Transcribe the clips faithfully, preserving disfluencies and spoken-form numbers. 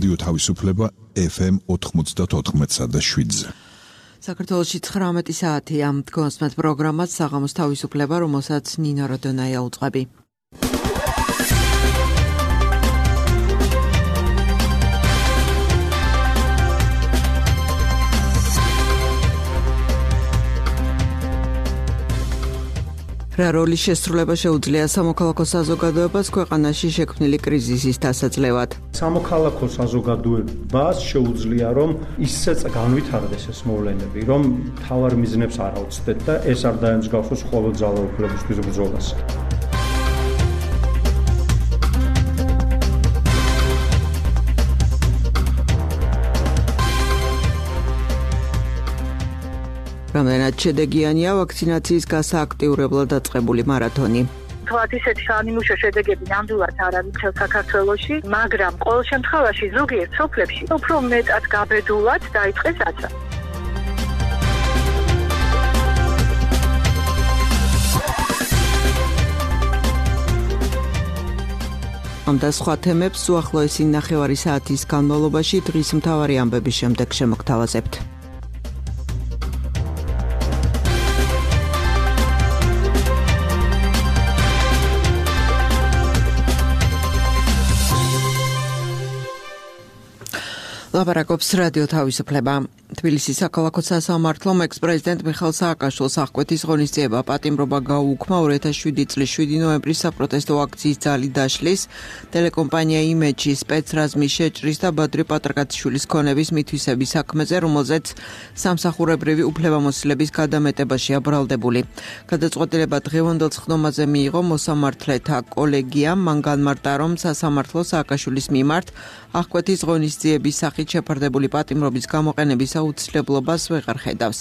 რადიო თავისუფლება ეფ ემ ოთხმოცდაოთხ და შვიდზე. საქართველოში ცხრამეტი საათია. დგომსმეთ პროგრამას საღამოს თავისუფლება, რომელსაც ნინო როდონაია უწყები. რა როლის შესრულება შეუძლია სამოქალაქო საზოგადოებას ქვეყანაში შექმნილი კრიზისის დასაძლევად? სამოქალაქო საზოგადოებას შეუძლია რომ ისე განვითარდეს ეს მოვლენები, რომ მთავარ მიზნებს არ აუცდეთ და ეს არ დაემსგავსოს მხოლოდ ძალაუფლებისთვის ბრძოლას. რამდენად შედეგიანია ვაქცინაციის გასააქტიურებლად დაწყებული მარათონი? თქვათ ისეთი საანიმუშო შედეგები ნამდვილად არ არის მთელ საქართველოში, მაგრამ ყოველ შემთხვევაში ზოგიერთ სოფლებში უფრო მეტად გაბედულად დაიწყეს აცრა. ამ და სხვა თემებს უახლოესი ნახევარი საათის განმავლობაში დღის მთავარი ამბების შემდეგ შემოგთავაზებთ. ლაპარაკობს რადიო თავისუფლება. თბილისის საქალაქო სასამართლომ ექს-პრეზიდენტ მიხეილ სააკაშვილს აღკვეთის ღონისძიება პატიმრობა გაუუქმა ორი ათას შვიდი წლის შვიდი ნოემბრის საპროტესტო აქციის ძალი დაშლის, ტელეკომპანია იმეჯის სპეცრაზმის შეჭრის და ბადრი პატრაკაციშვილის ქონების მითვისების საქმეზე, რომელზეც სამსახურებრივი უფლებამოსილების გადამეტებაშია ბრალდებული. გადაწყვეტილება დღევანდელ სხდომაზე მიიღო მოსამართლეთა კოლეგიამ, მან განმარტა, რომ სასამართლო სააკაშვილის მიმართ აღკვეთის ღონისძიების სახით შეფარდებული პატიმრობის გამოყენების აუცილებლობას ვეღარ ხედავს.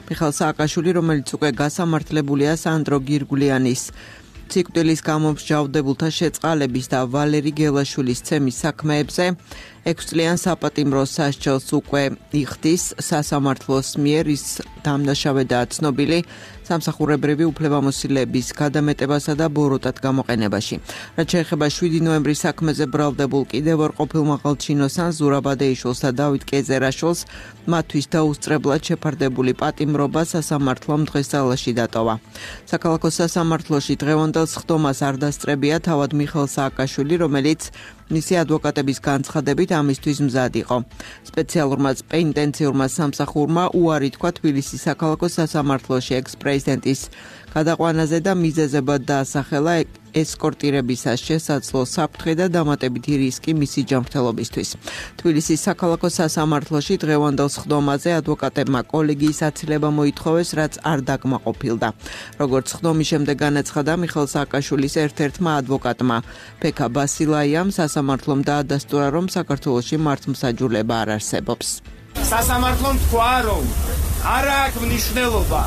მიხეილ სააკაშვილი, რომელიც უკვე გასამართლებულია სანდრო გირგულიანის ციკვდილის გამო მსჯავრდებულთა შეწყალების და ვალერი გელაშვილის ცემის საქმეებზე ექვსწლიან საპატიმრო სასჯელს უკვე იხდის სასამართლოს მიერ, ის დამნაშავედაა ცნობილი სამსახურებრივი უფლებამოსილების გადამეტებასა და ბოროტად გამოყენებაში. რაც შეეხება შვიდი ნოემბრის საქმეზე ბრალდებულ კიდევ ორ ყოფილ მაღალჩინოსან ზურაბადეიშვილს და დავით კეზერაშვილს მათთვის დაუსწრებლად შეფარდებული პატიმრობა სასამართლომ დღესდღეობით დატოვა. საქალაქო სასამართლოში დღევანდელ სხდომას არ დასწრებია თავად მიხეილ სააკაშვილი, რომელიც მისი ადვოკატების განცხადებით ამისთვის მზად იყო. სპეციალურმა პენიტენციურმა სამსახურმა უარი თქვა თბილისის საქალაქო სასამართლოში ექს-პრეზიდენტის გადაყვანაზე და მიზეზებად დაასახელა ესკორტირებისას შესაძლო საფრთხე და დამატებითი რისკი მისი ჯანმრთელობისთვის. თბილისის საქალაქო სასამართლოში დღევანდელ სხდომაზე ადვოკატებმა კოლეგიის აცილება მოითხოვეს, რაც არ დაკმაყოფილდა. როგორც სხდომის შემდეგ განაცხადა მიხეილ სააკაშვილის ერთ-ერთმა ადვოკატმა ფექა ბასილაიამ, სასამართლომ დაადასტურა, რომ საქართველოში მართლმსაჯულება არ არსებობს. სასამართლომ თქვა, რომ არ აქვს მნიშვნელობა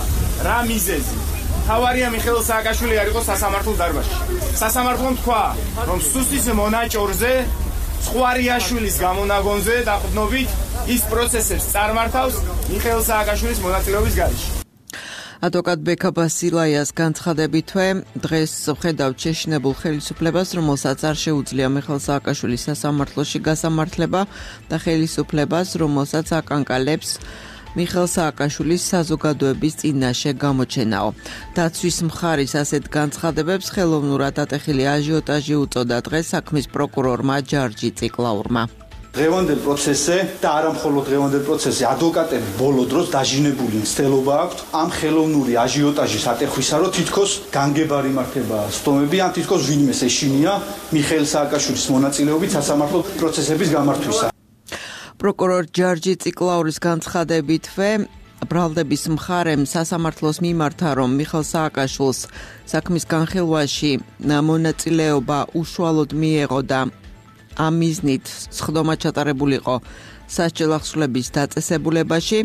რა მიზეზი. თავარია მიხეილ სააკაშვილი არ იყო სასამართლო დარბაზში. სასამართლომ თქვა, რომ სუსის მონაჭორზე, ცხვარიაშვილის გამონაგონზე დაყრდნობით ის პროცესებს წარმართავს მიხეილ სააკაშვილის მონაწილეობის გარეშე. ადვოკატ ბექა ბასილაიას განცხადებითვე დღეს ვხედავთ შეშინებულ ხელისუფლებას, რომელსაც არ შეუძლია მიხეილ სააკაშვილის სასამართლოში გასამართლება და ხელისუფლებას, რომელსაც აკანკალებს მიხეილ სააკაშვილის საზოგადოების წინაშე გამოჩენაო. დაცვის მხარის ასეთ განცხადებებს ხელოვნურად ატეხილი აჟიოტაჟი უწოდა დღეს საქმის პროკურორმა ჯარჯი ციკლაურმა. დღევანდელ პროცესზე და არა მხოლოდ დღევანდელ პროცესზე ადვოკატები ბოლო დროს დაჟინებული მცდელობა აქვთ ამ ხელოვნური აჟიოტაჟის ატეხვისა, რომ თითქოს განგებარი მართება სხდომები, ან თითქოს ვინმეს ეშინია მიხეილ სააკაშვილის მონაწილეობით სასამართლო პროცესების გამართვისა. პროკურორ ჯარჯი ციკლაურის განცხადებითვე ბრალდების მხარემ სასამართლოს მიმართა, რომ მიხეილ სააკაშვილს საქმის განხილვაში მონაწილეობა უშუალოდ მიეღო და ამ მიზნით სხდომა ჩატარებულიყო სასჯელ ახსნების დაწესებულებაში.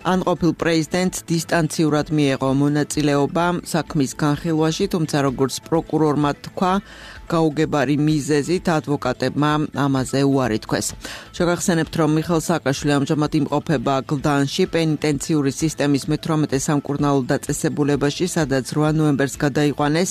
ან ყოფილ პრეზიდენტს დისტანციურად მიეღო მონაწილეობა საქმის განხილვაში, თუმცა როგორც პროკურორმა თქვა, გაუგებარი მიზეზით ადვოკატებმა ამაზე უარი თქვეს. შეგახსენებთ, რომ მიხეილ სააკაშვილი ამჟამად იმყოფება გლდანში, პენიტენციური სისტემის მეთვრამეტე სამკურნალო დაწესებულებაში, სადაც რვა ნოემბერს გადაიყვანეს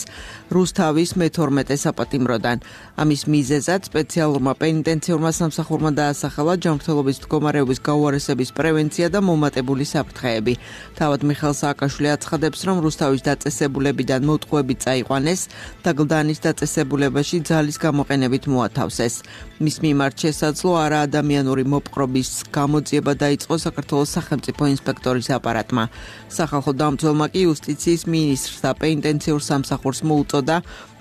რუსთავის მეთორმეტე საპატიმროდან. ამის მიზეზად სპეციალურმა პენიტენციურმა სამსახურმა დაასახელა ჯანმრთელობის მდგომარეობის გაუარესების პრევენცია და მომატებული საფრთხეები. თავად მიხეილ სააკაშვილი აცხადებს, რომ რუსთავის დაწესებულებიდან მოტყუები წაიყვანეს და გლდანის დაწესებულებაში ძალის გამოყენებით მოათავსეს. მის მიმართ შესაძლო არაადამიანური მოპყრობის გამოძიება დაიწყო საქართველოს სახელმწიფო ინსპექტორის აპარატმა. სახალხო დამცველმა კი იუსტიციის მინისტრს და პენიტენციურ სამსახურს მოუწოდა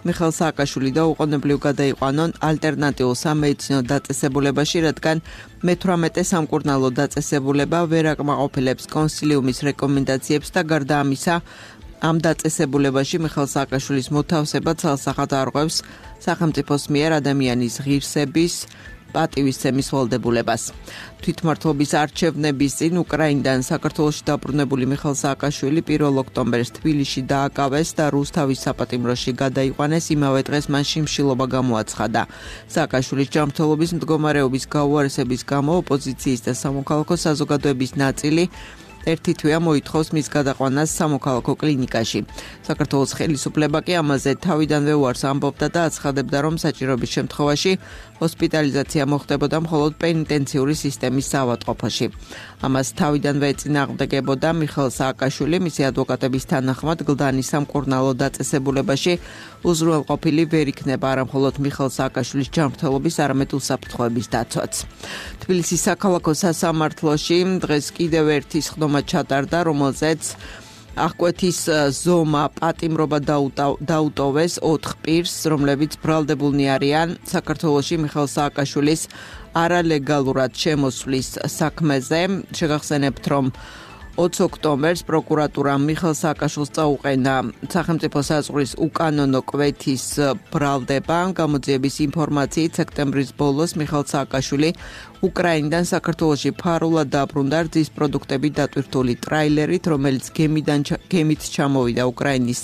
მიხეილ სააკაშვილი და უყოვნებლივ გადაიყვანონ ალტერნატიულ სამედიცინო დაწესებულებაში, რადგან მეთვრამეტე სამკურნალო დაწესებულება ვერ აკმაყოფილებს კონსილიუმის რეკომენდაციებს და გარდა ამისა, ამ დაწესებულებაში მიხეილ სააკაშვილის მოთავსება ცალსახად არღვევს სახელმწიფოს მიერ ადამიანის ღირსების პატივისცემის ვალდებულებას. თვითმმართველობის არჩევნების წინ უკრაინიდან საქართველოში დაბრუნებული მიხეილ სააკაშვილი პირველ ოქტომბერს თბილისში დააკავეს და რუსთავის საპატიმროში გადაიყვანეს, იმავე დღეს მან შიმშილობა გამოაცხადა. სააკაშვილის ჯანმრთელობის მდგომარეობის გაუარესების გამო ოპოზიციის და სამოქალაქო საზოგადოების ნაწილი ერთი თვეა მოითხოვს მის გადაყვანას სამოქალაქო კლინიკაში. საქართველოს ხელისუფლება კი ამაზე თავიდანვე უარს ამბობდა და აცხადებდა, რომ საჭიროების შემთხვევაში ჰოსპიტალიზაცია მოხდებოდა მხოლოდ პენიტენციური სისტემის ავადმყოფოში. ამას თავიდანვე ეწინააღმდეგებოდა მიხეილ სააკაშვილი, მისი ადვოკატების თანახმად გლდანის სამკურნალო დაწესებულებაში უზრუნველყოფილი ვერ იქნება არა მხოლოდ მიხეილ სააკაშვილის ჯანმრთელობის, არამედ უსაფრთხოების დაცვაც. თბილისის საქალაქო სასამართლოში დღეს კიდევ ერთი სხდომა ჩატარდა, რომელზეც აღკვეთის ზომა პატიმრობა დაუტოვეს ოთხ პირს, რომლებიც ბრალდებულნი არიან საქართველოში მიხეილ სააკაშვილის არალეგალურად შემოსვლის საქმეზე. შეგახსენებთ, რომ ოცი ოქტომბერს პროკურატურამ მიხეილ სააკაშვილს წაუყენა სახელმწიფო საზღვრის უკანონო კვეთის ბრალდება. გამოძიების ინფორმაციით სექტემბრის ბოლოს მიხეილ სააკაშვილი უკრაინიდან საქართველოში ფარულად დაბრუნდა რძის პროდუქტები დატვირთული ტრაილერით, რომელიც გემიდან გემით ჩამოვიდა უკრაინის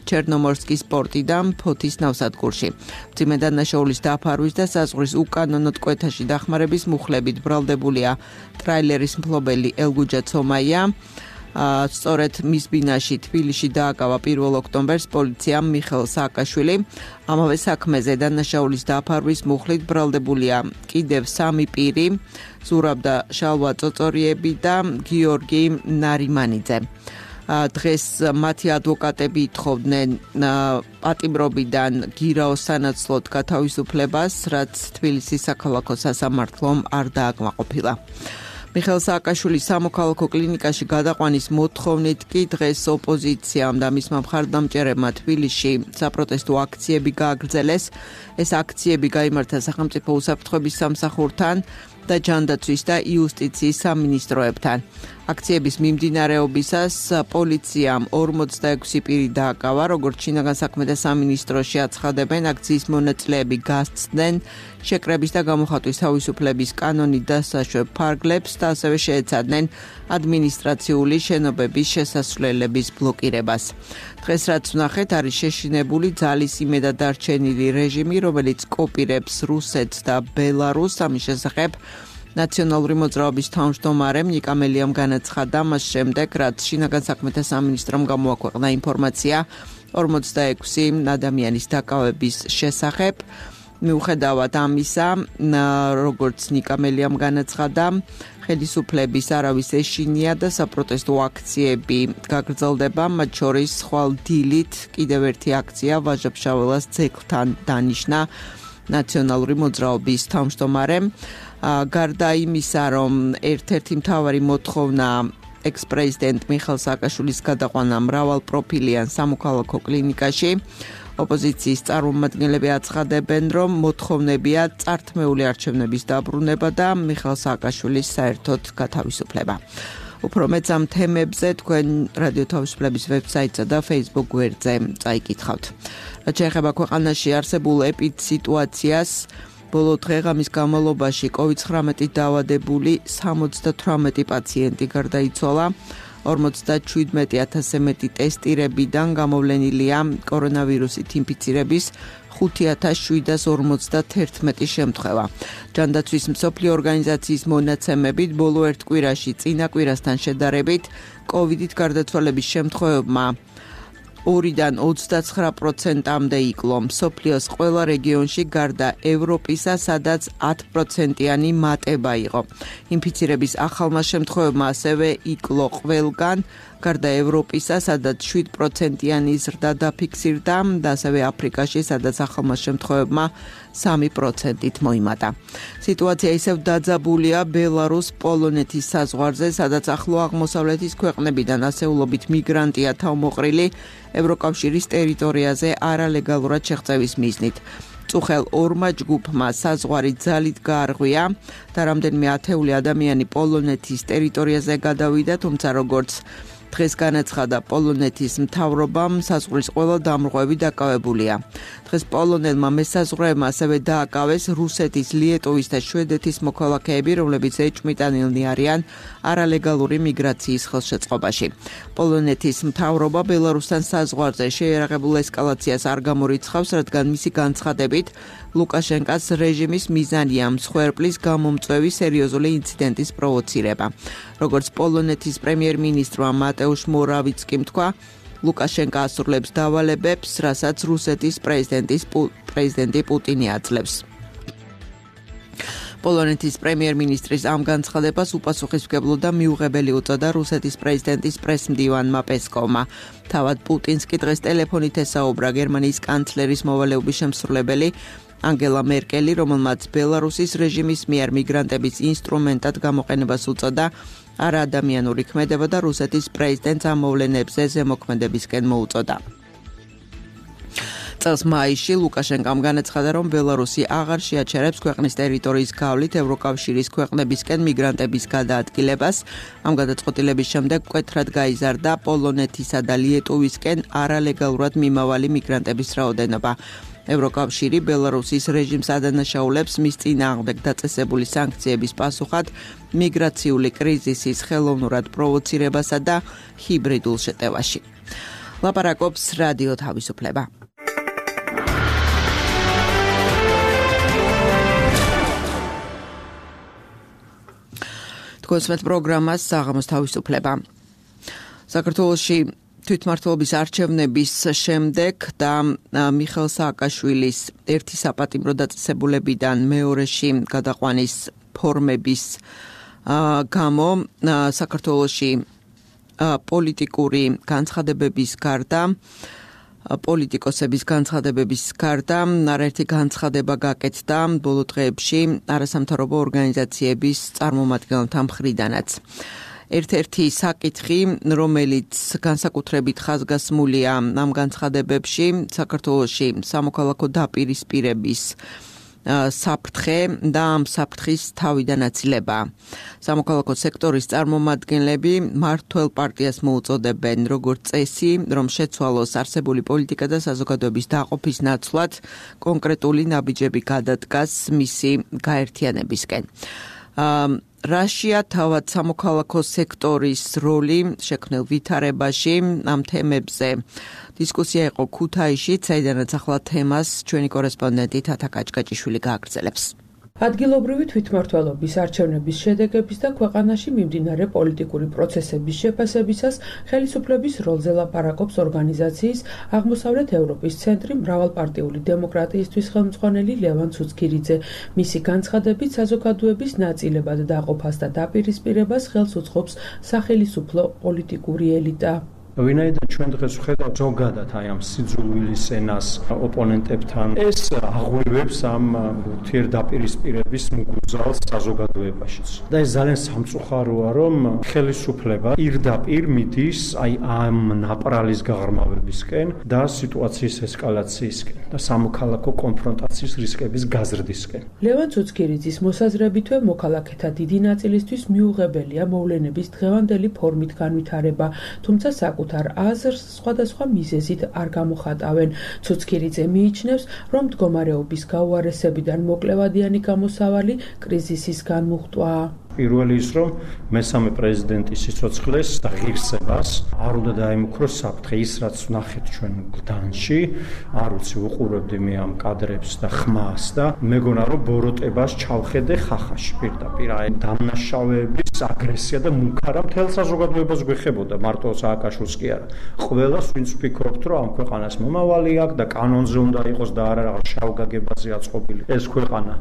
ჩერნომორსკის პორტიდან ფოთის ნავსადგურში. მძიმე დანაშაულის დაფარვის და საზღვრის უკანონო კვეთაში დახმარების მუხლებით ბრალდებულია ტრაილერის მფლობელი ელგუჯა ცომაია. სწორედ მის ბინაში თბილისში დააკავა პირველ ოქტომბერს პოლიციამ მიხეილ სააკაშვილი. ამავე საქმეზე დანაშაულის დაფარვის მუხლით ბრალდებულია კიდევ სამი პირი, ზურაბ და შალვა წოწორიები და გიორგი ნარიმანიძე. დღეს მათი ადვოკატები ითხოვდნენ პატიმრობიდან გირაოს სანაცვლოდ გათავისუფლებას, რაც თბილისის საქალაქო სასამართლომ არ დააკმაყოფილა. მიხეილ სააკაშვილის სამოქალაქო კლინიკაში გადაყვანის მოთხოვნით კი დღეს ოპოზიციამ და მისმა მხარდამჭერებმა თბილისში საპროტესტო აქციები გააგრძელეს. ეს აქციები გაიმართა სახელმწიფო უსაფრთხოების სამსახურთან და ჯანდაცვის და იუსტიციის სამინისტროებთან. აქციების მიმდინარეობისას პოლიციამ ორმოცდაექვსი პირი დააკავა, როგორც შინაგან საქმეთა სამინისტროში აცხადებენ, აქციის მონაწილეები გასცდნენ შეკრების და გამოხატვის თავისუფლების კანონით დასაშვებ ფარგლებს და ასევე შეეცადნენ ადმინისტრაციული შენობების შესასვლელების ბლოკირებას. დღეს რაც ვნახეთ, არის შეშინებული ძალის იმედად დარჩენილი რეჟიმი, რომელიც კოპირებს რუსეთს და ბელარუსს. ამის შესახებ ნაციონალური მოძრაობის თავმჯდომარემ ნიკა მელიამ განაცხადა მას შემდეგ, რაც შინაგან საქმეთა სამინისტრომ გამოაქვეყნა ინფორმაცია ორმოცდაექვსი ადამიანის დაკავების შესახებ. მიუხედავად ამისა, როგორც ნიკა მელიამ განაცხადა, ხელისუფლების არავის ეშინია და საპროტესტო აქციები გაგრძელდება, მათ შორის ხვალ დილით კიდევ ერთი აქცია ვაჟა-ფშაველას ძეგლთან დანიშნა ნაციონალური მოძრაობის თავმჯდომარემ. გარდა იმისა, რომ ერთ-ერთი მთავარი მოთხოვნა ექს-პრეზიდენტ მიხეილ სააკაშვილის გადაყვანა მრავალპროფილიან სამოქალაქო კლინიკაში, ოპოზიციის წარმომადგენლები აცხადებენ, რომ მოთხოვნებია წართმეული არჩევნების დაბრუნება და მიხეილ სააკაშვილის საერთოდ გათავისუფლება. უფრო მეც ამ თემებზე თქვენ რადიო თავისუფლების ვებსაიტსა და Facebook გვერდზე წაიკითხავთ. რაც შეეხება ქვეყანაში არსებულ ეპიდსიტუაციას, ბოლო დღეღამის განმავლობაში კოვიდ ცხრამეტით დაავადებული სამოცდათვრამეტი პაციენტი გარდაიცვალა. ორმოცდაჩვიდმეტი ათასზე მეტი ტესტირებიდან გამოვლენილია კორონავირუსით ინფიცირების ხუთი ათას შვიდას ორმოცდათერთმეტი შემთხვევა. ჯანდაცვის მსოფლიო ორგანიზაციის მონაცემებით ბოლო ერთ კვირაში წინა კვირასთან შედარებით კოვიდით გარდაცვალების შემთხვევებმა ორიდან ოცდაცხრა პროცენტამდე იკლო. მსოფლიოს ყველა რეგიონში გარდა ევროპისა, სადაც ათი პროცენტიანი მატება იყო. ინფიცირების ახალმა შემთხვევებმა ასევე იკლო ყველგან, გარდა ევროპისა, სადაც შვიდ პროცენტიანი ზრდა დაფიქსირდა და ასევე აფრიკაში, სადაც ახალმა შემთხვევებმა სამი პროცენტით მოიმატა. სიტუაცია ისევ დაძაბულია ბელარუს-პოლონეთის საზღვარზე, სადაც ახლო აღმოსავლეთის ქვეყნებიდან ასეულობით მიგრანტია თავმოყრილი ევროკავშირის ტერიტორიაზე არალეგალურად შეღწევის მიზნით. წუხელ ორმა ჯგუფმა საზღვარი ძალით გაარღვია და რამდენიმე ათეული ადამიანი პოლონეთის ტერიტორიაზე გადავიდა, თუმცა როგორც დღეს განაცხადა პოლონეთის მთავრობამ, საზღვრის ყველა დამრღვევი დაკავებულია. დღეს პოლონელმა მესაზღვრეებმა ასევე დააკავეს რუსეთის, ლიეტოვის და შვედეთის მოქალაქეები, რომლებიც ეჭვმიტანილნი არიან არალეგალური მიგრაციის ხელშეწყობაში. პოლონეთის მთავრობა ბელარუსთან საზღვარზე შეიარაღებულ ესკალაციას არ გამორიცხავს, რადგან მისი განცხადებით ლუკაშენკას რეჟიმის მიზანია მსხვერპლის გამომწვევი სერიოზული ინციდენტის პროვოცირება. როგორც პოლონეთის პრემიერ-მინისტრმა მატეუშ მორავიცკიმ თქვა, ლუკაშენკა ასრულებს დავალებებს, რასაც რუსეთის პრეზიდენტის პრეზიდენტი პუტინი აძლევს. პოლონეთის პრემიერ-მინისტრის ამ განცხადებას უპასუხისმგებლო და მიუღებელი უწოდა რუსეთის პრეზიდენტის პრესმდივანმა პესკოვმა. თავად პუტინს კი დღეს ტელეფონით ესაუბრა გერმანიის კანცლერის მოვალეობის შემსრულებელი ანგელა მერკელი, რომელმაც ბელარუსის რეჟიმის მიერ მიგრანტების ინსტრუმენტად გამოყენებას უწოდა არაადამიანური ქმედება და რუსეთის პრეზიდენტს ამ მოვლენებზე ზემოქმედებისკენ მოუწოდა. წელს მაისში ლუკაშენკამ განაცხადა, რომ ბელარუსი აღარ შეაჩერებს ქვეყნის ტერიტორიის გავლით ევროკავშირის ქვეყნებისკენ მიგრანტების გადაადგილებას. ამ გადაწყვეტილების შემდეგ მკვეთრად გაიზარდა პოლონეთისა და ლიეტოვისკენ არალეგალურად მიმავალი მიგრანტების რაოდენობა. ევროკავშირი ბელარუსის რეჟიმს ადანაშაულებს მის წინააღმდეგ დაწესებული სანქციების პასუხად მიგრაციული კრიზისის ხელოვნურად პროვოცირებასა და ჰიბრიდულ შეტევაში. ლაპარაკობს რადიო თავისუფლება. თქვენს პროგრამას საღამოს თავისუფლება. საქართველოში თვითმმართველობის არჩევნების შემდეგ და მიხეილ სააკაშვილის ერთი საპატიმრო დაწესებულებიდან მეორეში გადაყვანის ფორმების გამო საქართველოში პოლიტიკური განცხადებების გარდა პოლიტიკოსების განცხადებების გარდა არაერთი განცხადება გაკეთდა ბოლო დღეებში არასამთავრობო ორგანიზაციების წარმომადგენელთა მხრიდანაც. ერთ-ერთი საკითხი, რომელიც განსაკუთრებით ხაზგასმულია ამ განცხადებებში, საქართველოში სამოქალაქო დაპირისპირების საფრთხე და ამ საფრთხის თავიდანაცილება. სამოქალაქო სექტორის წარმომადგენლები მმართველ პარტიას მოუწოდებენ როგორც წესი, რომ შეცვალოს არსებული პოლიტიკა და საზოგადოების დაყოფის ნაცვლად კონკრეტული ნაბიჯები გადადგას მისი გაერთიანებისკენ. რაშია თავად სამოქალაქო სექტორის როლი შექმნილ ვითარებაში ამ თემებზე დისკუსია იყო ქუთაისში, საიდანაც ახლა თემას ჩვენი კორესპონდენტი თათა კაჭკაჭიშვილი გააგრძელებს. ადგილობრივი თვითმმართველობის არჩევნების შედეგების და ქვეყანაში მიმდინარე პოლიტიკური პროცესების შეფასებისას ხელისუფლების როლზე ლაპარაკობს ორგანიზაციის აღმოსავლეთ ევროპის ცენტრი მრავალპარტიული დემოკრატიისთვის ხელმძღვანელი ლევან ცუცქირიძე. მისი განცხადებით საზოგადოების ნაწილებად დაყოფას და დაპირისპირებას ხელს უწყობს სახელისუფლო პოლიტიკური ელიტა. ვინაიდან ჩვენ დღეს ვხედავთ ზოგადად აი ამ სიძულვილის ენას ოპონენტებთან, ეს აღღვევებს ამ ურთიერთდაპირისპირების მგუზალს საზოგადოებაშიც. და ეს ძალიან სამწუხაროა, რომ ხელისუფლება პირდაპირ მიდის აი ამ ნაპრალის გაღრმავებისკენ და სიტუაციის ესკალაციისკენ და სამოქალაქო კონფრონტაციის რისკების გაზრდისკენ. ლევან ცუცქირიძის მოსაზრებითვე მოქალაქეთა დიდი ნაწილისთვის მიუღებელია მოვლენების დღევანდელი ფორმით განვითარება, თუმცა საკუთარ საკუთარ აზრს სხვადასხვა მიზეზით არ გამოხატავენ. ცუცქირიძე მიიჩნევს, რომ მდგომარეობის გაუარესებიდან მოკლევადიანი გამოსავალი კრიზისის განმუხტვაა. პირველი ის, რომ მესამე პრეზიდენტის სიცოცხლეს და ღირსებას არ უნდა დაემუქროს საფრთხე. ის, რაც ვნახეთ ჩვენ გდანში, არ ვიცი, უყურებდი მე ამ კადრებს და ხმას და მეგონა, რომ ბოროტებას ჩავხედე ხახაში პირდაპირ. აი დამნაშავეების აგრესია და მუქარა მთელ საზოგადოებას გვეხებოდა, მარტო სააკაშვილს კი არა. ყველას ვინც ვფიქრობთ, რომ ამ ქვეყანას მომავალი აქვს და კანონზე უნდა იყოს და არა რაღაც შავგაგებაზე აწყობილი ეს ქვეყანა.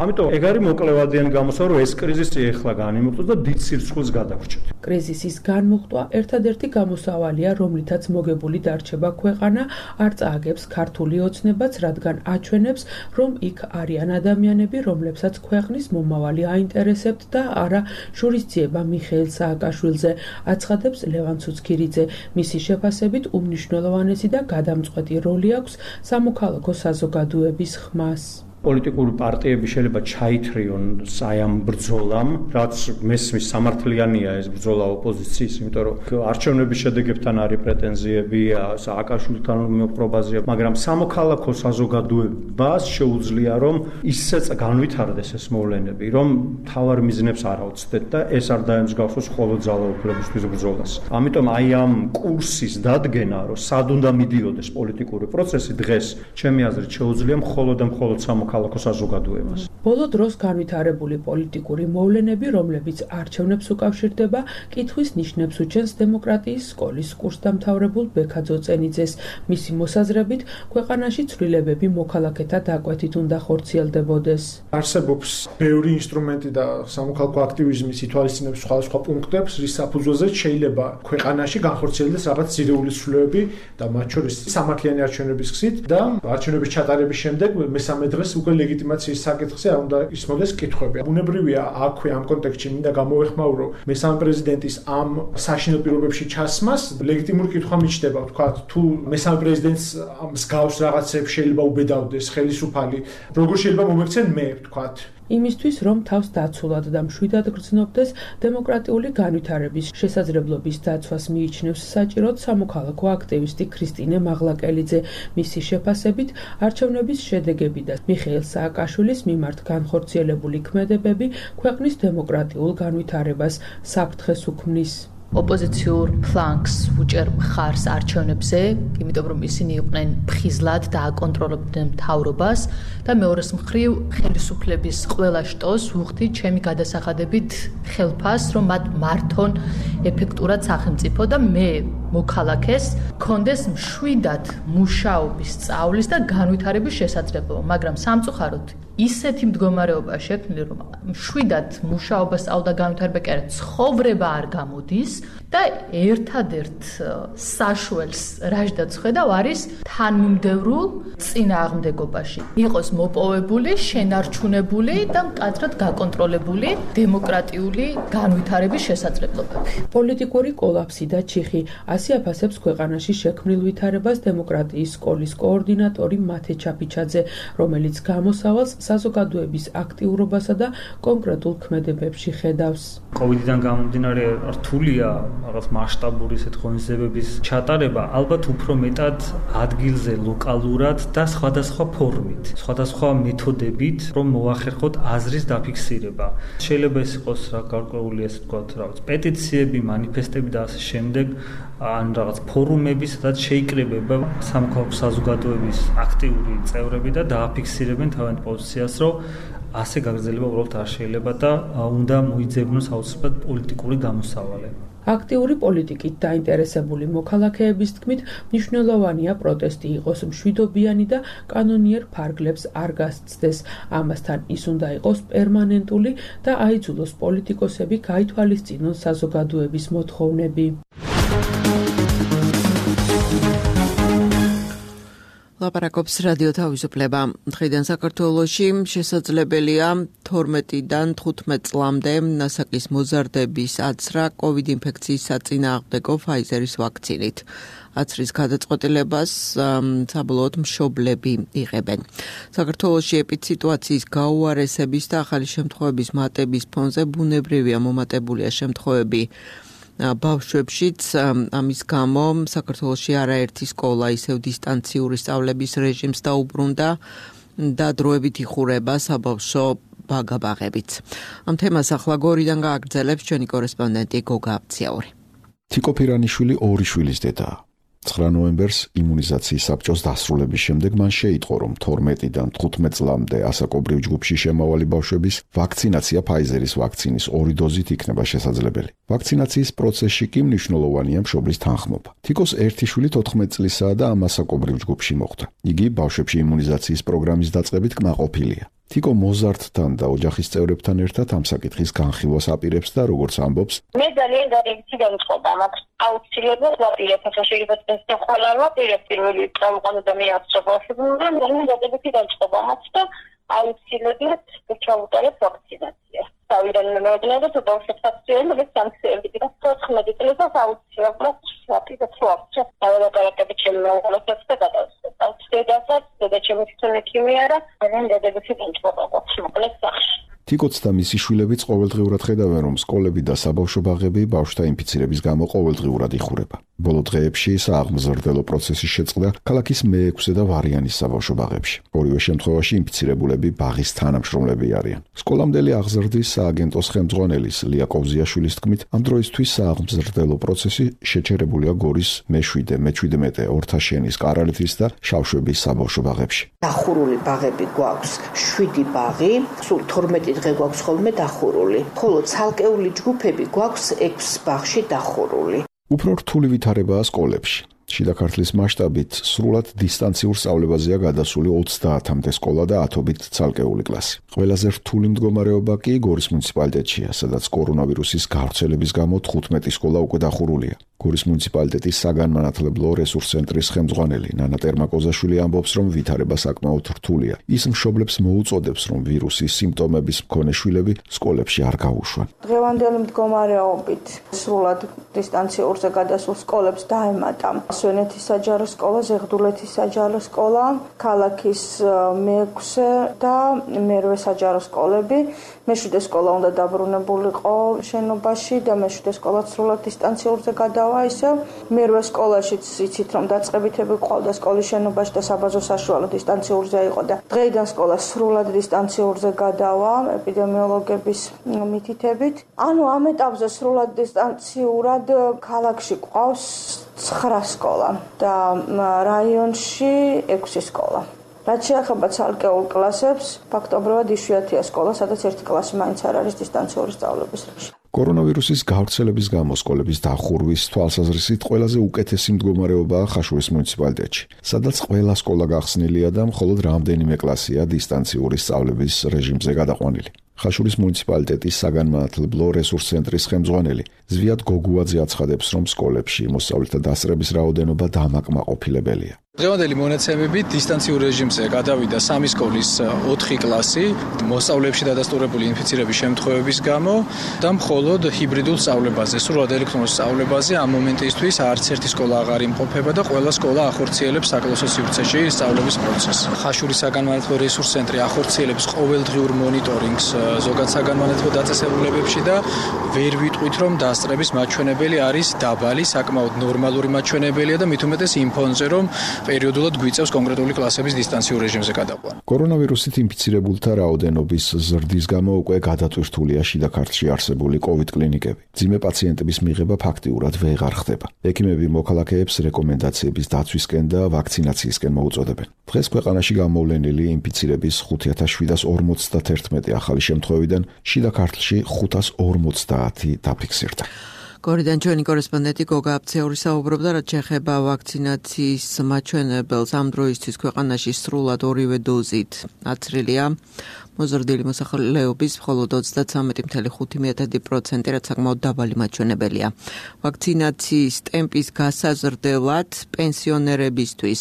ამიტომ ეგ არის მოკლევადიანი გამოსავალი, რომ ეს კრიზისი ახლა განიმუხტოს და დიდ სირცხვილს გადავრჩეთ. კრიზისის განმუხტვა ერთადერთი გამოსავალია, რომლითაც მოგებული დარჩება ქვეყანა, არ წააგებს ქართული ოცნებაც, რადგან აჩვენებს, რომ იქ არიან ადამიანები, რომლებსაც ქვეყნის მომავალი აინტერესებთ და არა შურისძიება მიხეილ სააკაშვილზე, აცხადებს ლევან ცუცქირიძე. მისი შეფასებით უმნიშვნელოვანესი და გადამწყვეტი როლი აქვს სამოქალაქო საზოგადოების ხმას. პოლიტიკური პარტიები შეიძლება ჩაითრიონ აი ამ ბრძოლამ, რაც მესმის სამართლიანია ეს ბრძოლა ოპოზიციის, იმიტომ რომ არჩევნების შედეგებთან არის პრეტენზიები, სააკაშვილთან მოპყრობაზეა, მაგრამ სამოქალაქო საზოგადოებას შეუძლია რომ ისეც განვითარდეს ეს მოვლენები, რომ თავარ მიზნებს არ აუცდეთ და ეს არ დაემსგავსოს მხოლოდ ძალაუფლებისთვის ბრძოლას. ამიტომ აი ამ კურსის დადგენა, რომ სად უნდა მიდიოდეს პოლიტიკური პროცესი დღეს, ჩემი აზრით შეუძლია მხოლოდ და მხოლოდ სამოქალაქო ქალაქო საზოგადოებას. ბოლო დროს განვითარებული პოლიტიკური მოვლენები, რომლებიც არჩევნებს უკავშირდება, კითხვის ნიშნებს უჩენს დემოკრატიის სკოლის კურსდამთავრებულ ბექა ძოწენიძეს. მისი მოსაზრებით, ქვეყანაში ცვლილებები მოქალაქეთა დაკვეთით უნდა ხორციელდებოდეს. არსებობს ბევრი ინსტრუმენტი და სამოქალაქო აქტივიზმის ითვალისწინებს სხვადასხვა პუნქტებს, რის საფუძველზეც შეიძლება ქვეყანაში განხორციელდეს რაღაც ძირეული ცვლილებები და მათ შორის სამართლიანი არჩევნების გზით და არჩევნების ჩატარების შემდეგ მესამე დღეს უკვე ლეგიტიმაციის საკითხზე არ უნდა ისმოდეს კითხვები. ბუნებრივია აქვე ამ კონტექსტში მინდა გამოვეხმაურო მესამე პრეზიდენტის ამ საშინელ პირობებში ჩასმას ლეგიტიმური კითხვა მიჩნდება, თქვა თუ მესამე პრეზიდენტს ამ მსგავს რაღაცებს შეიძლება უბედავდეს ხელისუფალი, როგორ შეიძლება მომექცენ მე, თქვა იმისთვის, რომ თავს დაცულად და მშვიდად გრძნობდეს დემოკრატიული განვითარების შესაძლებლობის დაცვას მიიჩნევს საჭიროდ სამოქალაქო აქტივისტი ქრისტინე მაღლაკელიძე. მისი შეფასებით, არჩევნების შედეგები და მიხეილ სააკაშვილის მიმართ განხორციელებული ქმედებები ქვეყნის დემოკრატიულ განვითარებას საფრთხეს უქმნის. ოპოზიციურ ფლანგს უჭერ მხარს არჩევნებზე, იმიტომ რომ ისინი იყვნენ ფხიზლად და აკონტროლებდნენ მთავრობას და მეორეს მხრივ ხელისუფლების ყველა შტოს უხდით ჩემი გადასახადებით ხელფას, რომ მათ მართონ ეფექტურად სახელმწიფო და მე მოქალაქეს კონდეს მშვიდად მუშაობის, სწავლის და განვითარების შესაძლებლობა, მაგრამ სამწუხაროდ ისეთი მდგომარეობა შექმნილი, რომ მშვიდად მუშაობა, სწავლა და განვითარება კი არა, ცხოვრება არ გამოდის და ერთადერთ საშუალს რაჟდაც ხედავ არის თანმიმდევრულ წინააღმდეგობაში. იყოს მოპოვებული, შენარჩუნებული და მკაცრად გაკონტროლებული დემოკრატიული განვითარების შესაძლებლობები. პოლიტიკური კოლაფსი და ჩიხი ასე აფასებს ქვეყანაში შექმნილ ვითარებას დემოკრატიის სკოლის კოორდინატორი მათე ჩაფიჩაძე, რომელიც გამოსავალს საზოგადოების აქტიურობასა და კონკრეტულ ქმედებებში ხედავს. კოვიდიდან გამომდინარე რთულია რაღაც მასშტაბური ესეთ ღონისძიებების ჩატარება, ალბათ უფრო მეტად ადგილზე, ლოკალურად და სხვადასხვა ფორმით, სხვადასხვა მეთოდებით, რომ მოახერხოთ აზრის დაფიქსირება. შეიძლება ეს იყოს რა გარკვეული ესე ვთქვათ, რაღაც პეტიციები, მანიფესტები და ასე შემდეგ, ან რაღაც ფორუმები, სადაც შეიკრიბება სამოქალაქო საზოგადოების აქტიური წევრები და დააფიქსირებენ თავიანთ პოზიციას, რომ ასე გაგრძელება უბრალოდ არ შეიძლება და უნდა მოიძებნოს აუცილებლად პოლიტიკური გამოსავალი. აქტიური პოლიტიკით დაინტერესებული მოქალაქეების თქმით, მნიშვნელოვანია პროტესტი იყოს მშვიდობიანი და კანონიერ ფარგლებს არ გასცდეს. ამასთან ის უნდა იყოს პერმანენტული და აიძულოს პოლიტიკოსები გაითვალისწინონ საზოგადოების მოთხოვნები. ლაპარაკობს რადიო თავისუფლება. დღიდან საქართველოში შესაძლებელია თორმეტიდან თხუთმეტ წლამდე ნასაკის მოზარდების აცრა კოვიდ ინფექციის საწინააღმდეგო ფაიზერის ვაქცინით. აცრის გადაწყვეტილებას საბოლოოდ მშობლები იღებენ. საქართველოში ეპიდსიტუაციის გაუარესების და ახალი შემთხვევების მატების ფონზე ბუნებრივია მომატებულია შემთხვევები ბავშვებშიც ამის გამო საქართველოში არაერთი სკოლა ისევ დისტანციური სწავლების რეჟიმს დაუბრუნდა და დროებით იხურება საბავშვო ბაგაბაღებიც. ამ თემას ახლა გორიდან გააგრძელებს ჩვენი კორესპონდენტი გოგა აბციაური. თიკო ფირანიშვილი ორი შვილის დედაა. ცხრა ნოემბერს იმუნიზაციის საბჭოს დასრულების შემდეგ მან შეიტყო, რომ თორმეტიდან თხუთმეტ წლამდე ასაკობრივ ჯგუფში შემავალი ბავშვების ვაქცინაცია ფაიზერის ვაქცინის ორი დოზით იქნება შესაძლებელი. ვაქცინაციის პროცესში კი მნიშვნელოვანია მშობლის თანხმობა. თიკოს ერთი შვილი თოთხმეტ წლისაა და ამ ასაკობრივ ჯგუფში მოხვდა. იგი ბავშვებში იმუნიზაციის პროგრამის დაწყებით კმაყოფილია. თიკო მოზარდთან და ოჯახის წევრებთან ერთად ამ საკითხის განხილვას აპირებს და როგორც ამბობს, მე ძალიან დადებითი განწყობა მაქვს. აუცილებლად ვაპირებ, ახლა შეიძლება ეს ყველა ვაპირებ პირველი წავყანო და მე აცხოვებ, მაგრამ ძალიან დადებითი განწყობა მაქვს და აუცილებლად ჩავუტარებ ვაქცინაცია. თავიდან მეუბნება თუ ბავშვებსაც შეიძლება სანქციები და თოთხმეტი წელს აუცილებლად ვაპირებ ვაქცინაცია. დავაპარაკებით შემოღლოთ და გადავწყვეტ. დედასაც, დედა ჩემი თვითონ ექიმია და ძალიან დადებითი განწყობა მაქვს მოკლედ სახში. თიკოც და მისი შვილებიც ყოველდღიურად ხედავენ, რომ სკოლები და საბავშვო ბაღები ბავშვთა ინფიცირების გამო ყოველდღიურად იხურება. ბოლო დღეებში სააღმზრდელო პროცესი შეწყდა ქალაქის მეექვსე და ვარიანის საბავშვო ბაღებში. ორივე შემთხვევაში ინფიცირებულები ბაღის თანამშრომლები არიან. სკოლამდელი აღზრდის სააგენტოს ხელმძღვანელის ლია კოვზიაშვილის თქმით, ამ დროისთვის სააღმზრდელო პროცესი შეჩერებულია გორის მეშვიდე, მეჩვიდმეტე, ორთაშენის, კარალეთის და შავშვების საბავშვო ბაღებში. დახურული ბაღები გვაქვს შვიდი ბაღი, სულ თორმეტი დღე გვაქვს ხოლმე დახურული. ხოლო ცალკეული ჯგუფები გვაქვს ექვს ბაღში დახურული. უფრო რთული ვითარებაა სკოლებში. შიდა ქართლის მასშტაბით სრულად დისტანციურ სწავლებაზეა გადასული ოცდაათამდე სკოლა და ათობით ცალკეული კლასი. ყველაზე რთული მდგომარეობა კი გორის მუნიციპალიტეტშია, სადაც კორონავირუსის გავრცელების გამო თხუთმეტი სკოლა უკვე დახურულია. გორის მუნიციპალიტეტის საგანმანათლებლო რესურს ცენტრის ხელმძღვანელი ნანა ტერმაკოზაშვილი ამბობს, რომ ვითარება საკმაოდ რთულია. ის მშობლებს მოუწოდებს, რომ ვირუსის სიმპტომების მქონე შვილები სკოლებში არ გაუშვან. დღევანდელი მდგომარეობით სრულად დისტანციურზე გადასულ სკოლებს დაემატა სვენეთის საჯარო სკოლა, ზეღდულეთის საჯარო სკოლა, ქალაქის მეექვსე და მერვე საჯარო სკოლები. მეშვიდე სკოლა უნდა დაბრუნებულიყო შენობაში და მეშვიდე სკოლა სრულად დისტანციურზე გადავა. ისევ მერვე სკოლაშიც იცით, რომ დაწყებითები ყავდა სკოლის შენობაში და საბაზო საშუალო დისტანციურზე იყო და დღეიდან სკოლა სრულად დისტანციურზე გადავა ეპიდემიოლოგების მითითებით. ანუ ამ ეტაპზე სრულად დისტანციურად ქალაქში ყავს ცხრა სკოლა და რაიონში ექვსი სკოლა. რაც შეეხება ცალკეულ კლასებს, ფაქტობრივად იშვიათია სკოლა, სადაც ერთი კლასი მაინც არ არის დისტანციური სწავლების რეჟიმში. კორონავირუსის გავრცელების გამო სკოლების დახურვის თვალსაზრისით ყველაზე უკეთესი მდგომარეობაა ხაშურის მუნიციპალიტეტში, სადაც ყველა სკოლა გახსნილია და მხოლოდ რამდენიმე კლასია დისტანციური სწავლების რეჟიმზე გადაყვანილი. ხაშურის მუნიციპალიტეტის საგანმანათლებლო რესურს ცენტრის ხელმძღვანელი ზვიად გოგუაძე აცხადებს, რომ სკოლებში მოსწავლეთა დასწრების რაოდენობა დამაკმაყოფილებელია. დღევანდელი მონაცემებით დისტანციურ რეჟიმზე გადავიდა სამი სკოლის ოთხი კლასი მოსწავლეებში დადასტურებული ინფიცირების შემთხვევების გამო და მხოლოდ ჰიბრიდულ სწავლებაზე, სრულად ელექტრონულ სწავლებაზე ამ მომენტისთვის არც ერთი სკოლა აღარ იმყოფება და ყველა სკოლა ახორციელებს საკლასო სივრცეში სწავლების პროცესს. ხაშურის საგანმანათლებლო რესურს ცენტრი ახორციელებს ყოველდღიურ მონიტორინგს ზოგად საგანმანათლებლო დაწესებულებებში და ვერ ვიტყვით, რომ დასწრების მაჩვენებელი არის დაბალი, საკმაოდ ნორმალური მაჩვენებელია და მით უმეტეს იმ ფონზე, რომ პერიოდულად გვიწევს კონკრეტული კლასების დისტანციურ რეჟიმზე გადაყვანა. კორონავირუსით ინფიცირებულთა რაოდენობის ზრდის გამო უკვე გადატვირთულია შიდა ქართლში არსებული კოვიდ კლინიკები. ძიმე პაციენტების მიღება ფაქტიურად ვეღარ ხდება. ექიმები მოქალაქეებს რეკომენდაციების დაცვისკენ და ვაქცინაციისკენ მოუწოდებენ. დღეს ქვეყანაში გამოვლენილი ინფიცირების ხუთი ათას შვიდას ორმოცდაათი ახალი შემთხვევიდან შიდა ქართლში ხუთას ორმოცდაათი დაფიქსირდა. გორიდან ჩვენი კორესპონდენტი გოგა აბციაური საუბრობდა, რაც შეეხება ვაქცინაციის მაჩვენებელს. ამ დროისთვის ქვეყანაში სრულად ორივე დოზით აცრილია მოზრდილი მოსახლეობის მხოლოდ ოცდათვრამეტი კoma ხუთი პროცენტი, რაც საკმაოდ დაბალი მაჩვენებელია. ვაქცინაციის ტემპის გასაზრდელად პენსიონერებისთვის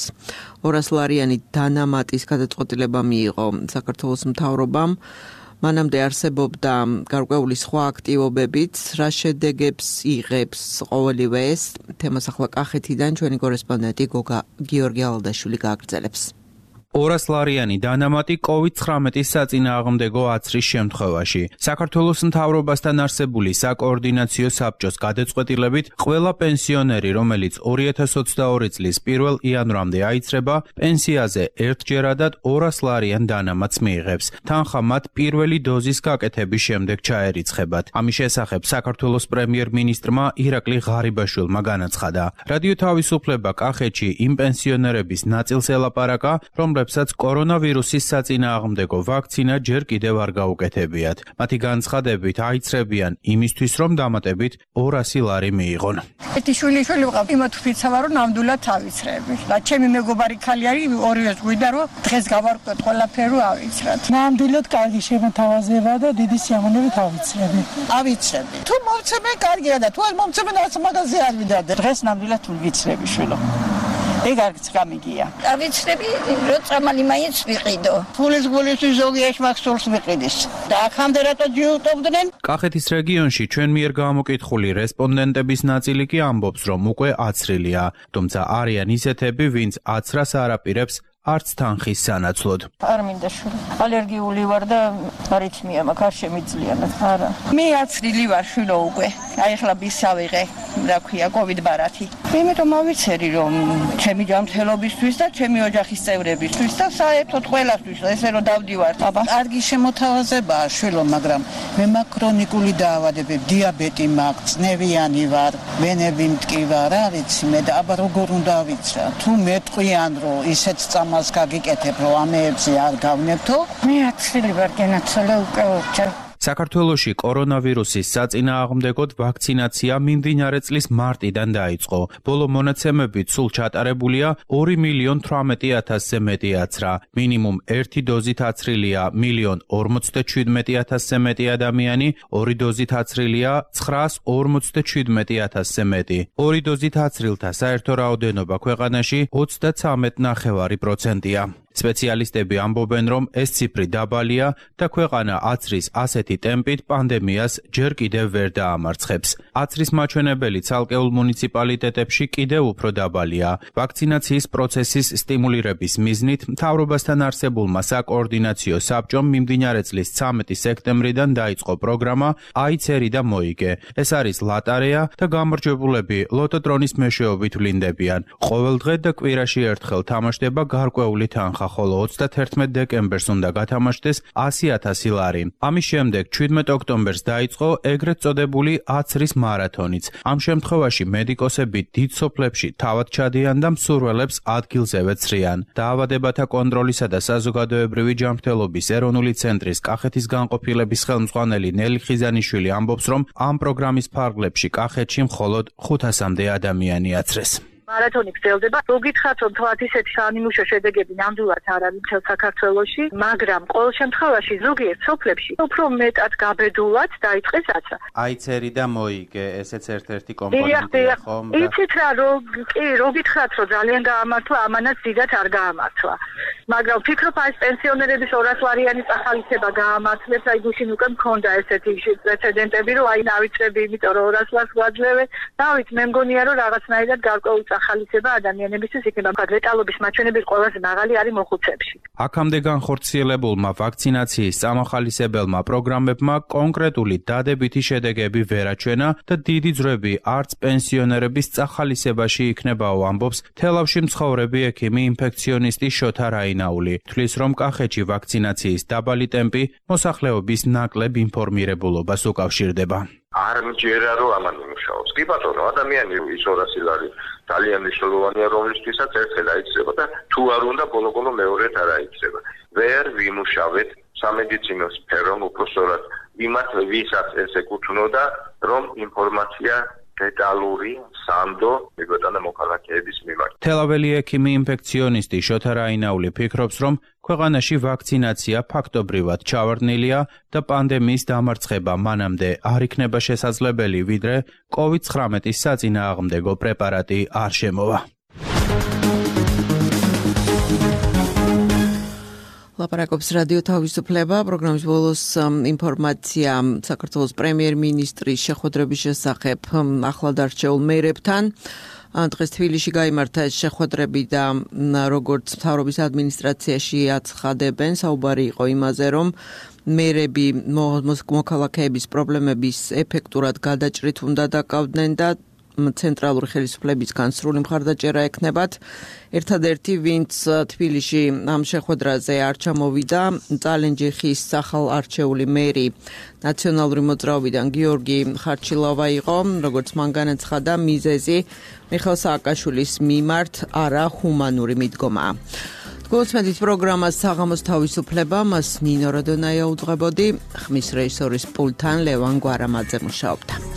ორასლარიანი დანამატის გადაწყვეტილება მიიღო საქართველოს მთავრობამ. მანამდე არსებობდა გარკვეული სხვა აქტივობებიც, რა შედეგებს იღებს ყოველივე ეს თემას ახლა კახეთიდან ჩვენი კორესპონდენტი გოგა გიორგი ალადაშვილი გააგრძელებს. ორასლარიანი დანამატი კოვიდ ცხრამეტის საწინააღმდეგო აცრის შემთხვევაში. საქართველოს მთავრობასთან არსებული საკოორდინაციო საბჭოს გადაწყვეტილებით ყველა პენსიონერი, რომელიც ორი ათას ოცდაორი წლის პირველ იანვრამდე აიცრება, პენსიაზე ერთჯერადად ორასლარიან დანამატს მიიღებს. თანხა მათ პირველი დოზის გაკეთების შემდეგ ჩაერიცხებათ. ამის შესახებ საქართველოს პრემიერ-მინისტრმა ირაკლი ღარიბაშვილმა განაცხადა. რადიო თავისუფლება კახეთში იმ პენსიონერების ნაწილს ელაპარაკა, რომლებსაც კორონავირუსის საწინააღმდეგო ვაქცინა ჯერ კიდევ არ გაუკეთებიათ. მათი განცხადებით აიცრებიან იმისთვის, რომ დამატებით ორასი ლარი მიიღონ. ერთი შვილი შვილი ვყავ, იმათ ვფიცავა, რომ ნამდვილად თავიცრები. და ჩემი მეგობარი ქალი არის, ორივეს გვიდა, რომ დღეს გავარკვევთ ყველაფერი ავიცრათ. ნამდვილად კარგი შემოთავაზება და დიდი სიამოვნებით ავიცრები. ავიცრები. თუ მომცემენ კარგია და თუ არ მომცემენ არც მაგაზე არ ვიდადე. დღეს ნამდვილად ვიცრები შვილო. ეგ არც გამიგია. ავიცრები, რომ წამალი მაინც ვიყიდო. ფულის გულისთვის ზოგი ეშმაკსულს ვიყიდის. და აქამდე რატო ჯიუტობდნენ? კახეთის რეგიონში ჩვენ მიერ გამოკითხული რესპონდენტების ნაწილი კი ამბობს, რომ უკვე აცრილია, თუმცა არიან ისეთები, ვინც აცრას არ აპირებს არც თანხის სანაცვლოდ. არ მინდა შვილი. ალერგიული ვარ და არითმია მაქვს, არ შემიძლია. არა. მე აცრილი ვარ შვილო უკვე. აი ახლა ბისავიღე, რა ქვია, კოვიდ ბარათი. იმიტომ ავიცერი, რომ ჩემი ჯანმრთელობისთვის და ჩემი ოჯახის წევრებისთვის და საერთოდ ყველასთვის ესე რომ დავდივარ. აბა, კარგი შემოთავაზებაა შვილო, მაგრამ მე მაქვს ქრონიკული დაავადებები, დიაბეტი მაქვს, წნევიანი ვარ, ვენები მტკივა, რა ვიცი მე და აბა როგორ უნდა ავიცრა? თუ მეტყვიან რომ ისეთ მას გაგიკეთებ, რომ ამეებზე არ გავნებთო? მე აცრილი ვარ, გენაცვალე უკვე ორჯერ. საქართველოში კორონავირუსის საწინააღმდეგოდ ვაქცინაცია მიმდინარე წლის მარტიდან დაიწყო. ბოლო მონაცემებით სულ ჩატარებულია ორი მილიონ თვრამეტი ათასზე მეტი აცრა. მინიმუმ ერთი დოზით აცრილია მილიონ ორმოცდაჩვიდმეტი ათასზე მეტი ადამიანი, ორი დოზით აცრილია ცხრაას ორმოცდაჩვიდმეტი ათასზე მეტი. ორი დოზით აცრილთა საერთო რაოდენობა ქვეყანაში ოცდაცამეტ ნახევარი პროცენტია. სპეციალისტები ამბობენ, რომ ეს ციფრი დაბალია და ქვეყანა აცრის ასეთი ტემპით პანდემიას ჯერ კიდევ ვერ დაამარცხებს. აცრის მაჩვენებელი ცალკეულ მუნიციპალიტეტებში კიდევ უფრო დაბალია. ვაქცინაციის პროცესის სტიმულირების მიზნით მთავრობასთან არსებულმა საკოორდინაციო საბჭომ მიმდინარე წლის ცამეტი სექტემბრიდან დაიწყო პროგრამა აიცერი და მოიგე. ეს არის ლატარეა და გამარჯვებულები ლოტოტრონის მეშვეობით ვლინდებიან. ყოველ დღე და კვირაში ერთხელ თამაშდება გარკვეული თანხა. ხოლო ოცდაათერთმეტ დეკემბერს უნდა გათამაშდეს ასი ათასი ლარი. ამის შემდეგ შვიდმეტ ოქტომბერს დაიწყო ეგრეთ წოდებული აცრის მარათონიც. ამ შემთხვევაში მედიკოსები დიდ სოფლებში თავად ჩადიან და მსურველებს ადგილზევე ცრიან. დაავადებათა კონტროლისა და საზოგადოებრივი ჯანმრთელობის ეროვნული ცენტრის კახეთის განყოფილების ხელმძღვანელი ნელი ხიზანიშვილი ამბობს, რომ ამ პროგრამის ფარგლებში კახეთში მხოლოდ ხუთასამდე ადამიანი აცრეს. მარათონი გრძელდება. რო გითხრათ, რომ თქვათ ისეთი საანიმუშო შედეგები ნამდვილად არ არის მთელ საქართველოში, მაგრამ ყოველ შემთხვევაში ზოგიერთ სოფლებში უფრო მეტად გაბედულად დაიწყეს აცრა. აიცერი და მოიგე, ესეც ერთ-ერთი კომპონენტია, ხომ? იცით რა, რო კი, რო გითხრათ, რომ ძალიან გაამართლა, ამანაც დიდად არ გაამართლა. მაგრამ ვფიქრობ, აი პენსიონერების ორასი ლარიანი წახალისება გაამართლებს, აი გუშინ უკვე მქონდა ესეთი პრეცედენტები, რომ აი ნავიცრები, იმიტომ რომ ორასი ლარს გვაძლევენ. დავით, მე მგონია, რომ რაღაცნაირად გარკვეული ხალისება ადამიანებისთვის იქნება ლეტალობის მაჩვენებელი ყველაზე მაღალი არის მოხუცებში. აქამდე განხორციელებულმა ვაქცინაციის წამახალისებელმა პროგრამებმა კონკრეტული დადებითი შედეგები ვერ აჩვენა და დიდი ძრები არც პენსიონერების წახალისებაში იქნებაო, ამბობს თელავში მცხოვრები ექიმი ინფექციონისტი შოთა რაინაული. თვლის, რომ კახეთში ვაქცინაციის დაბალი ტემპი მოსახლეობის ნაკლებ ინფორმირებულობას უკავშირდება. არ მჯერა რომ ამან იმუშაოს. კი ბატონო, ადამიანი ის ორასი ლარი ძალიან მნიშვნელოვანია, რომლისთვისაც ერთხელ აიცრება და თუ არ უნდა ბოლო-ბოლო მეორედ არ აიცრება. ვერ ვიმუშავეთ სამედიცინო სფერომ უпроსორად იმათ ვისაც ეს ეკუთვნოდა, რომ ინფორმაცია დეტალური სანდო მიგოთანა მოქალაქეების მიმართ. თელაველი ექიმი ინფექციონისტი შოთა რაინაული ფიქრობს, რომ ქვეყანაში ვაქცინაცია ფაქტობრივად ჩავარდნილია და პანდემიის დამარცხება მანამდე არ იქნება შესაძლებელი, ვიდრე კოვიდ ცხრამეტის საწინააღმდეგო პრეპარატი არ შემოვა. ლაპარაკობს რადიო თავისუფლება, პროგრამის ბოლოს ინფორმაცია საქართველოს პრემიერ-მინისტრის შეხვედრების შესახებ ახლადარჩეულ მერებთან. დღეს თბილისში გაიმართა შეხვედრები და როგორც მთავრობის ადმინისტრაციაში აცხადებენ, საუბარი იყო იმაზე, რომ მერები მოქალაქეების პრობლემების ეფექტურად გადაჭრით უნდა დაკავდნენ და ცენტრალური ხელისუფლებისგან სრული მხარდაჭერა ექნებათ. ერთადერთი, ვინც თბილისში ამ შეხვედრაზე არ ჩამოვიდა, წალენჯიხის სახალარჩეული მერი ნაციონალური მოძრაობიდან გიორგი ხარჩილავა იყო, როგორც მან განაცხადა, მიზეზი მიხეილ სააკაშვილის მიმართ არა ჰუმანური მიდგომაა. გულწრფელით პროგრამას საღამოს თავისუფლება, მას ნინო როდონაია უძღვებოდი, ხმის რეჟისორის პულტთან ლევან გვარამაძე მუშაობდა.